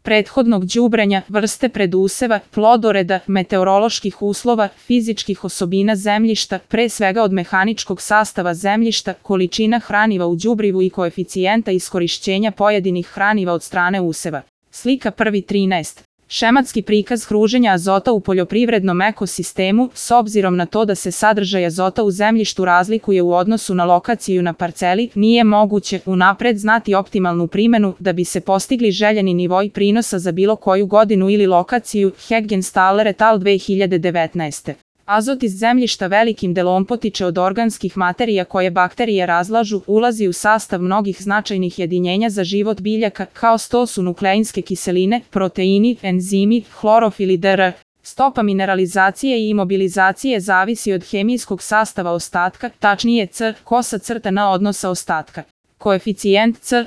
prethodnog đubrenja, vrste preduseva, plodoreda, meteoroloških uslova, fizičkih osobina zemljišta, pre svega od mehaničkog sastava zemljišta, količina hraniva u đubrivu i koeficijenta iskorišćenja pojedinih hraniva od strane useva. Slika 1.13. Šematski prikaz kruženja azota u poljoprivrednom ekosistemu, s obzirom na to da se sadržaj azota u zemljištu razlikuje u odnosu na lokaciju na parceli, nije moguće unapred znati optimalnu primenu da bi se postigli željeni nivoi prinosa za bilo koju godinu ili lokaciju. Heggenthaler et al. 2019. Azot iz zemljišta velikim delom potiče od organskih materija koje bakterije razlažu, ulazi u sastav mnogih značajnih jedinjenja za život biljaka, kao što su nukleinske kiseline, proteini, enzimi, hlorofil i dr. Stopa mineralizacije i imobilizacije zavisi od hemijskog sastava ostatka, tačnije C, (n) odnosa ostatka. Koeficijent C,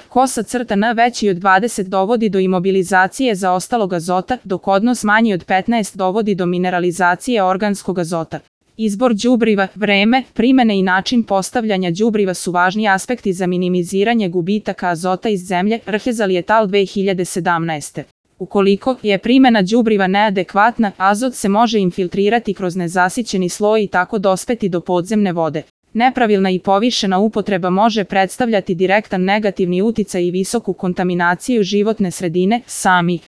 (n) veći od 20 dovodi do imobilizacije zaostalog azota, dok odnos manji od 15 dovodi do mineralizacije organskog azota. Izbor đubriva, vreme, primene i način postavljanja đubriva su važni aspekti za minimiziranje gubitaka azota iz zemlje. Rhezali et al. 2017. Ukoliko je primena đubriva neadekvatna, azot se može infiltrirati kroz nezasićeni sloj i tako dospeti do podzemne vode. Nepravilna i povišena upotreba može predstavljati direktan negativni uticaj i visoku kontaminaciju životne sredine. Sami